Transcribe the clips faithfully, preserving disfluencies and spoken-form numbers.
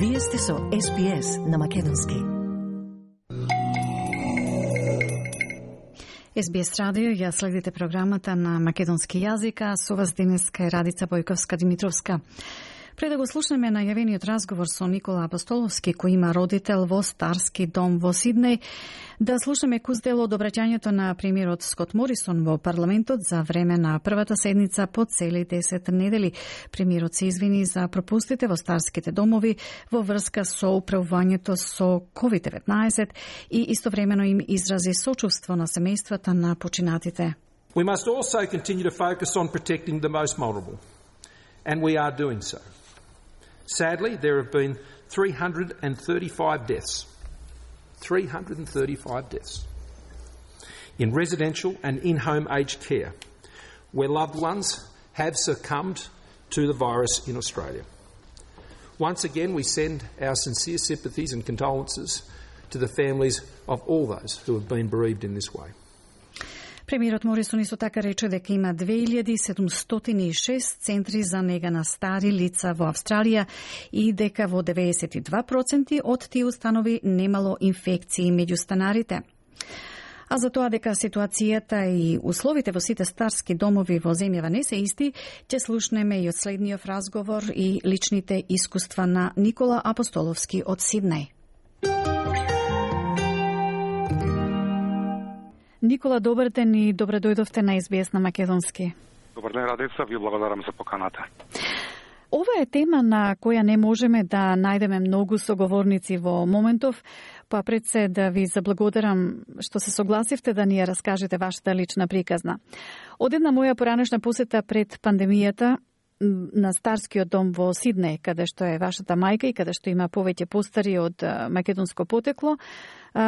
Вие сте со Ес Би Ес на Македонски. Ес Би Ес радио, ја следите програмата на македонски јазик, а со вас денеска е Радица Бојковска-Димитровска. Пред да го слушнеме најавениот разговор со Никола Апостоловски, кој има родител во Старски дом во Сиднеј, да слушнеме куз дел од обраќањето на премиерот Скот Морисон во парламентот за време на првата седница по цели десет недели. Премиерот се извини за пропустите во старските домови во врска со управувањето со ковид деветнаесет и истовремено им изрази сочувство на семејствата на починатите. We must also continue to focus on protecting the most vulnerable, and we are doing so. Sadly, there have been three hundred thirty-five deaths. three hundred thirty-five deaths in residential and in-home aged care, where loved ones have succumbed to the virus in Australia. Once again, we send our sincere sympathies and condolences to the families of all those who have been bereaved in this way. Премиерот Морисон исто така рече дека има две илјади седумстотини и шест центри за нега на стари лица во Австралија и дека во деветдесет и два проценти од тие установи немало инфекции меѓу станарите. А за тоа дека ситуацијата и условите во сите старски домови во земјава не се исти, ќе слушнеме и од следниот разговор и личните искуства на Никола Апостоловски од Сиднеј. Никола, добар ден и добре дојдовте на Ес Би Ес на Македонски. Добар ден, Радица, ви благодарам за поканата. Ова е тема на која не можеме да најдеме многу соговорници во моментов, па пред се да ви заблагодарам што се согласивте да ни ја раскажете вашата лична приказна. Од една моја поранешна посета пред пандемијата на Старскиот дом во Сиднеј, каде што е вашата мајка и каде што има повеќе постари од македонско потекло,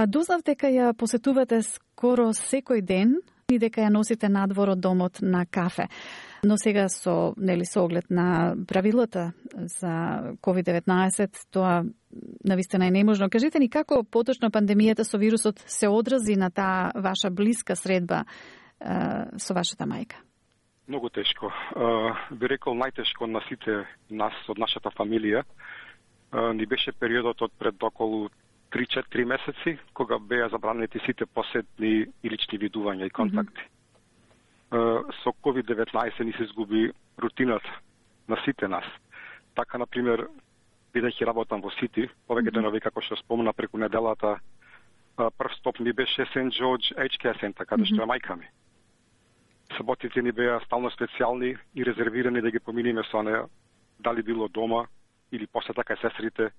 дознав дека ја посетувате скоро секој ден и дека ја носите надвор од домот на кафе. Но сега со, нели, со оглед на правилата за ковид деветнаесет, тоа навистина е неможно. Кажете ни како поточно пандемијата со вирусот се одрази на таа ваша блиска средба е, со вашата мајка? Многу тешко. Би рекол најтешко на сите нас од нашата фамилија. Ни беше периодот од пред околу три-четири месеци, кога беа забранети сите посетни и лични видувања и контакти. Mm-hmm. Со ковид деветнаесет ни се изгуби рутината на сите нас. Така, например, бидејќи работам во Сити, повеќе mm-hmm. денови, како што спомна преку неделата, прв стоп ми беше Сент Джордж Age Care Center, каде mm-hmm. што е мајка ми. Саботите ни беа стално специјални и резервирани да ги поминиме со неа, дали било дома или посета кај сестрите,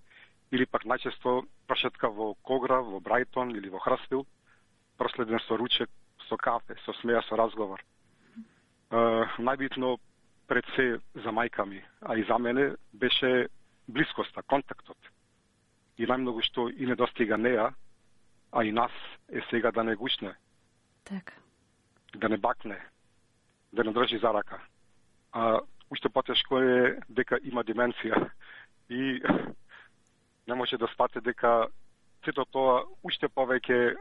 или пак најчесто прошетка во Когра, во Брајтон или во Хрстил, проследен со ручек, со кафе, со смеја, со разговор. Uh, најбитно пред се за мајка ми, а и за мене, беше блискоста, контактот. И најмногу што и не достига неа, а и нас е сега да не гушне. Така. Да не бакне, да не држи за рака. А уште потешко е дека има деменција и не може да спате дека сето тоа уште повеќе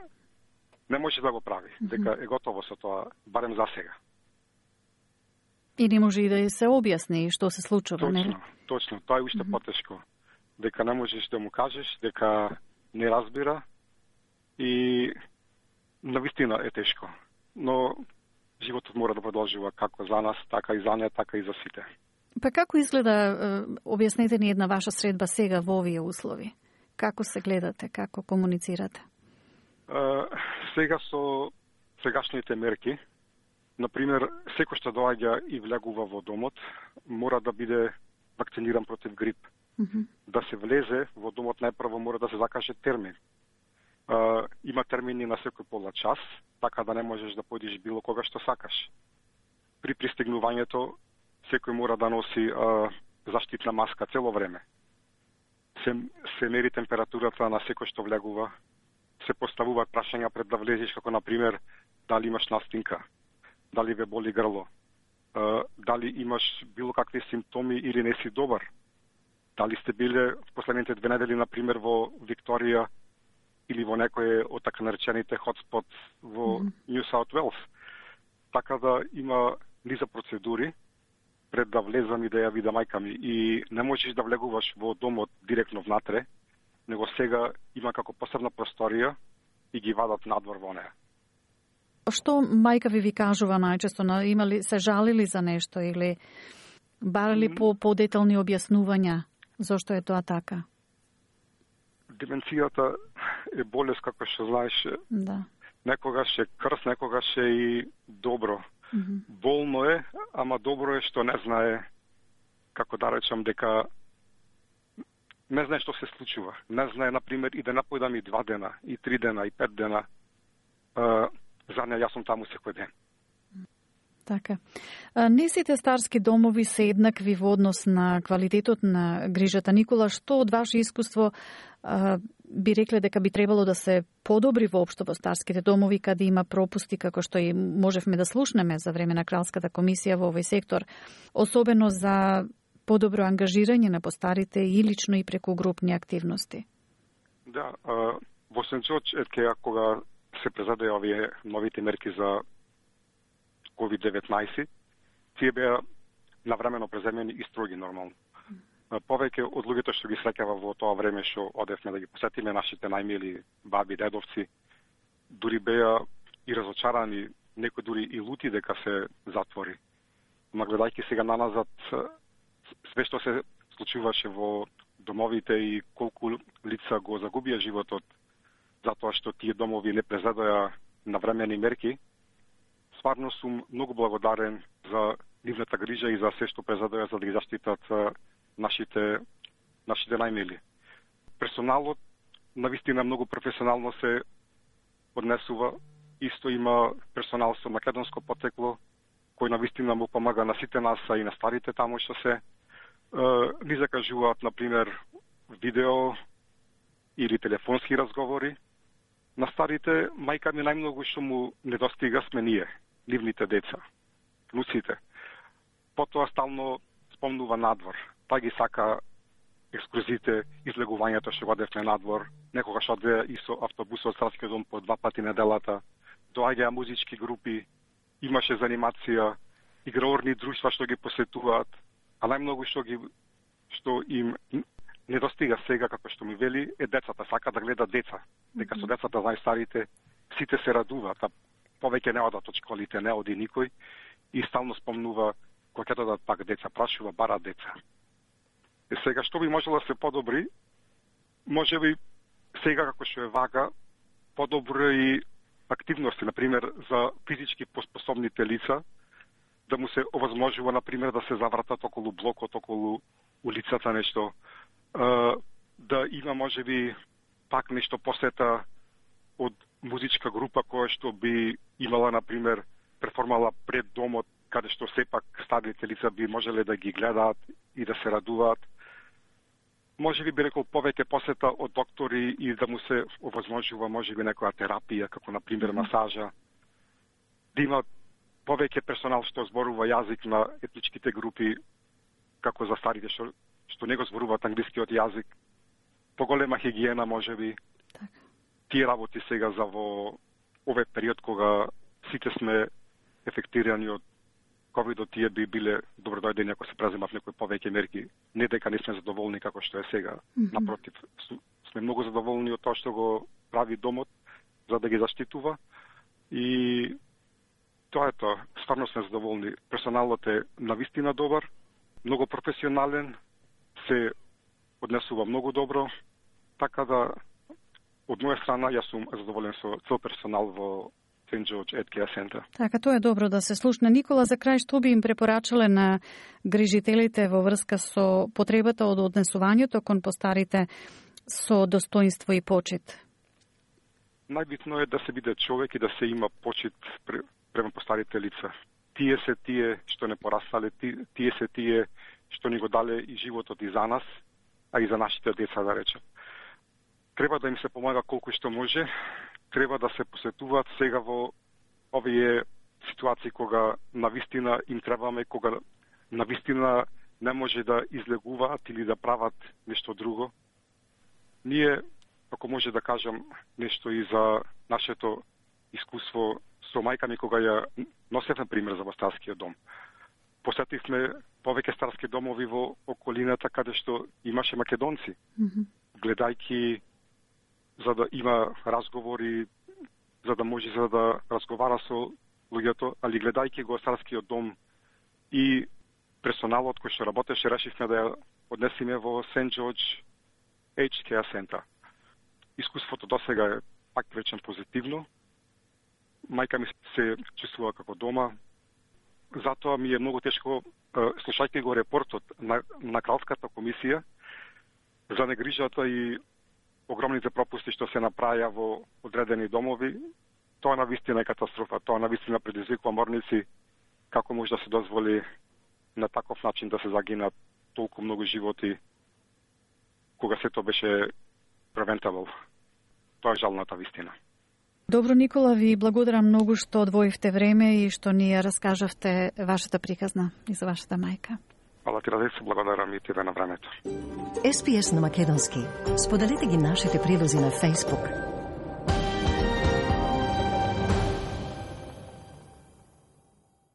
не може да го прави, mm-hmm. дека е готово со тоа, барем за сега. И не може и да се објасни што се случува, точно, нели? Точно, тоа е уште mm-hmm. потешко. Дека не можеш да му кажеш, дека не разбира и навистина е тешко. Но животот мора да продолжува како за нас, така и за неа, така и за сите. Па како изгледа, објаснете ни една ваша средба сега во овие услови? Како се гледате, како комуницирате? Uh, сега со сегашните мерки, например, секој што доаѓа и влегува во домот, мора да биде вакциниран против грип. Mm-hmm. Да се влезе во домот најпрво мора да се закаже термин. Uh, има термини на секој пола час, така да не можеш да појдеш било кога што сакаш. При пристигнувањето секој мора да носи uh, заштитна маска цело време. Се, се мери температурата на секој што влегува, се поставуваат прашања пред да влезеш, како например дали имаш настинка, дали ве боли грло, uh, дали имаш било какви симптоми или не си добар, дали сте биле в последните две недели, например, во Викторија или во некој од така наречените хотспот во Нью Саут Велс. Така да има низа процедури пред да влезам и да ја видам мајка ми. И не можеш да влегуваш во домот директно внатре, него сега има како посебна просторија и ги вадат надвор во неа. Што мајка ви ви кажува најчесто? Имали се жалили за нешто или барали mm. по подетални објаснувања зошто е тоа така? Деменцијата е болест, како што знаеш. Да. Некогаш е крс, некогаш е и добро. Mm-hmm. Болно е, ама добро е што не знае, како да речам, дека не знае што се случува. Не знае, например, и да напојдам и два дена, и три дена, и пет дена. Uh, за неја јас сум таму секој ден. Така. Не сите старски домови се еднакви во однос на квалитетот на грижата. Никола, што од ваше искуство а, би рекле дека би требало да се подобри воопшто во старските домови, каде има пропусти, како што и можевме да слушнеме за време на Кралската комисија во овој сектор, особено за подобро ангажирање на постарите и лично и преку групни активности? Да, а, во Сент Џорџ, етке, кога се презаде овие новите мерки за ковид деветнаесет, тие беа навремено преземени и строги нормално. Повеќе од луѓето што ги среќава во тоа време што одевме да ги посетиме нашите најмили баби, дедовци, дури беа и разочарани, некои дури и лути дека се затвори. Ма гледајќи сега наназад, све што се случуваше во домовите и колку лица го загубија животот, затоа што тие домови не презадоа навремени мерки, стварно сум многу благодарен за нивната грижа и за се што презадоа за да ги заштитат нашите, нашите најмили. Персоналот навистина многу професионално се однесува. Исто има персонал со македонско потекло, кој навистина му помага на сите нас, а и на старите таму што се. Ни закажуваат, например, видео или телефонски разговори. На старите, мајка ми најмногу што му недостига сме ние, нивните деца, внуците. Потоа стално спомнува надвор. Па ги сака екскурзите, излегувањето што одевме надвор. Некогаш одеа и со автобусот од Старскиот дом по два пати неделата. Доаѓаа музички групи, имаше занимација, играорни друштва што ги посетуваат, а најмногу што ги што им недостига сега, како што ми вели, е децата. Сака да гледа деца. Дека со децата најстарите сите се радуваат, а повеќе не одат од школите, не оди никој и стално спомнува кога ќе додат пак деца, прашува, бара деца. И сега, што би можело да се подобри? Може би сега, како што е вака, подобри активности, например, за физички поспособните лица, да му се овозможува, например, да се завратат околу блокот, околу улицата нешто, да има, може би, пак нешто посета од музичка група која што би имала, например, перформала пред домот, каде што сепак старите лица би можеле да ги гледаат и да се радуваат. Може би би рекол повеќе посета од доктори и да му се овозможува, може би, некоја терапија, како, например, масажа. Да има повеќе персонал што зборува јазик на етничките групи, како за старите што, што не го зборуваат англискиот јазик. Поголема хигиена, може би. Так. Тие работи сега за во овој период кога сите сме ефектирани од ковидот, тие би биле добродојдени ако се преземат некои повеќе мерки. Не дека не сме задоволни како што е сега. Mm-hmm. Напротив, сме многу задоволни од тоа што го прави домот за да ги заштитува. И тоа е тоа. Стварно сме задоволни. Персоналот е навистина добар, многу професионален, се однесува многу добро, така да од моја страна јас сум задоволен со цел персонал во Сент Џорџ Ед Кеа Центар. Така, тоа е добро да се слушне. Никола, за крај, што би им препорачале на грижителите во врска со потребата од однесувањето кон постарите со достоинство и почит? Најбитно е да се биде човек и да се има почит према постарите лица. Тие се тие што не пораснале, тие се тие што ни го дале и животот и за нас, а и за нашите деца, да речем. Треба да им се помага колку што може, треба да се посетуваат сега во овие ситуации кога навистина им требаме, кога навистина не може да излегуваат или да прават нешто друго. Ние, ако може да кажам нешто и за нашето искуство со мајка ми кога ја носевме пример за во Старскиот дом. посетивме повеќе старски домови во околината каде што имаше македонци. Mm-hmm. Гледајќи за да има разговори, за да може за да разговара со луѓето, али гледајќи го старскиот дом и персоналот кој што работеше, решивме да ја однесиме во Сент Џорџ Aged Care Center. Искуството досега е пак речем позитивно. Мајка ми се чувствува како дома. Затоа ми е многу тешко, слушајќи го репортот на, на Кралската комисија за негрижата и огромните пропусти што се направија во одредени домови, тоа навистина е катастрофа. Тоа навистина предизвикува морници како може да се дозволи на таков начин да се загинат толку многу животи кога сето беше превентабл. Тоа е жалната вистина. Добро, Никола, ви благодарам многу што одвоивте време и што ни ја раскажавте вашата приказна и за вашата мајка. Фала ти, Раде, се благодарам и тебе на времето. Ес Пи Ес на македонски. Споделете ги нашите прилози на Facebook,